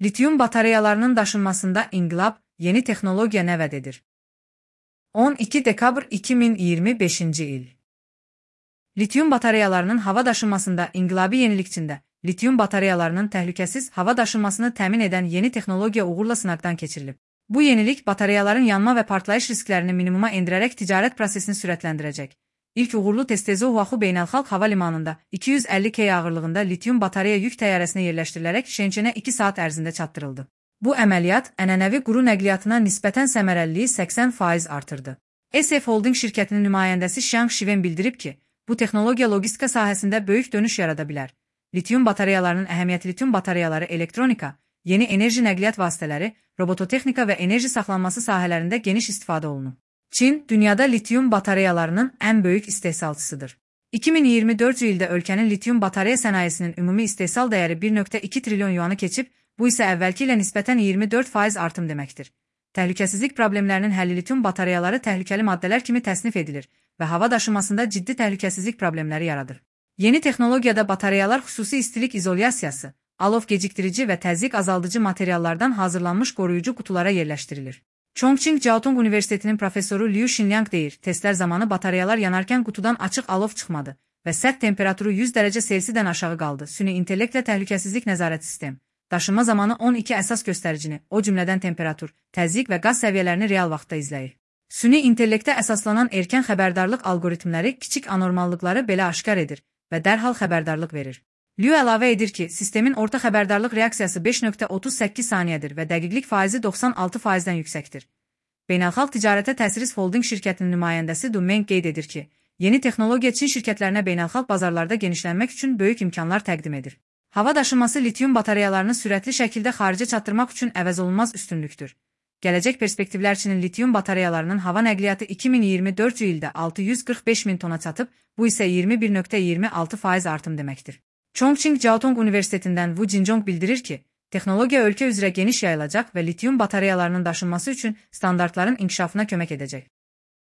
Lityum batareyalarının daşınmasında inqilab, yeni texnologiya nə vəd edir? 12 dekabr 2025-ci il. Lityum batareyalarının hava daşınmasında inqilabi yenilikçində, lityum batareyalarının təhlükəsiz hava daşınmasını təmin edən yeni texnologiya uğurla sınaqdan keçirilib. Bu yenilik batareyaların yanma və partlayış risklərini minimuma endirərək ticarət prosesini sürətləndirəcək. İlk uğurlu test Oahu Beynəlxalq Hava Limanında 250 kg ağırlığında lityum batareya yük təyyarəsinə yerləşdirilərək Şençenə 2 saat ərzində çatdırıldı. Bu əməliyyat ənənəvi quru nəqliyyatına nisbətən səmərəliliyi 80% artırdı. SF Holding şirkətinin nümayəndəsi Xiang Shiwen bildirib ki, bu texnologiya logistika sahəsində böyük dönüş yarada bilər. Lityum batareyalarının əhəmiyyəti lityum batareyaları elektronika, yeni enerji nəqliyyat vasitələri, robototexnika və enerji saxlanması sahələrində geniş istifadə olunur. Çin, dünyada lityum batareyalarının ən böyük istehsalçısıdır. 2024-cü ildə ölkənin lityum batareya sənayesinin ümumi istehsal dəyəri 1,2 trilyon yuanı keçib, bu isə əvvəlki ilə nisbətən 24% artım deməkdir. Təhlükəsizlik problemlərinin həlli lityum batareyaları təhlükəli maddələr kimi təsnif edilir və hava daşımasında ciddi təhlükəsizlik problemləri yaradır. Yeni texnologiyada batareyalar xüsusi istilik izolyasiyası, alov geciktirici və təzyiq azaldıcı materiallardan hazırlanmış qoruyucu qutulara yerləşdirilir. Chongqing Jiaotong Universitetinin professoru Liu Xinliang deyir, testlər zamanı batareyalar yanarkən qutudan açıq alov çıxmadı və sərt temperaturu 100 dərəcə Selsidən aşağı qaldı. Süni intellektlə təhlükəsizlik nəzarət sistem, daşınma zamanı 12 əsas göstəricini, o cümlədən temperatur, təzyiq və qaz səviyyələrini real vaxtda izləyir. Süni intellektə əsaslanan erkən xəbərdarlıq algoritmləri kiçik anormallıqları belə aşkar edir və dərhal xəbərdarlıq verir. Liu əlavə edir ki, sistemin orta xəbərdarlıq reaksiyası 5,38 saniyədir və dəqiqlik faizi 96%-dən yüksəkdir. Beynəlxalq Ticarətə Təsiris Holding şirkətinin nümayəndəsi Du Meng qeyd edir ki, yeni texnologiya Çin şirkətlərinə beynəlxalq bazarlarda genişlənmək üçün böyük imkanlar təqdim edir. Hava daşınması lityum batareyalarını sürətli şəkildə xaricə çatdırmaq üçün əvəzolunmaz üstünlükdür. Gələcək perspektivlər Çinin lityum batareyalarının hava nəqliyyatı 2024-cü ildə 645 min tona çatıb, bu isə 21,26% artım deməkdir. Chongqing Jiaotong Universitetindən Wu Jinzhong bildirir ki, texnologiya ölkə üzrə geniş yayılacaq və lityum batareyalarının daşınması üçün standartların inkişafına kömək edəcək.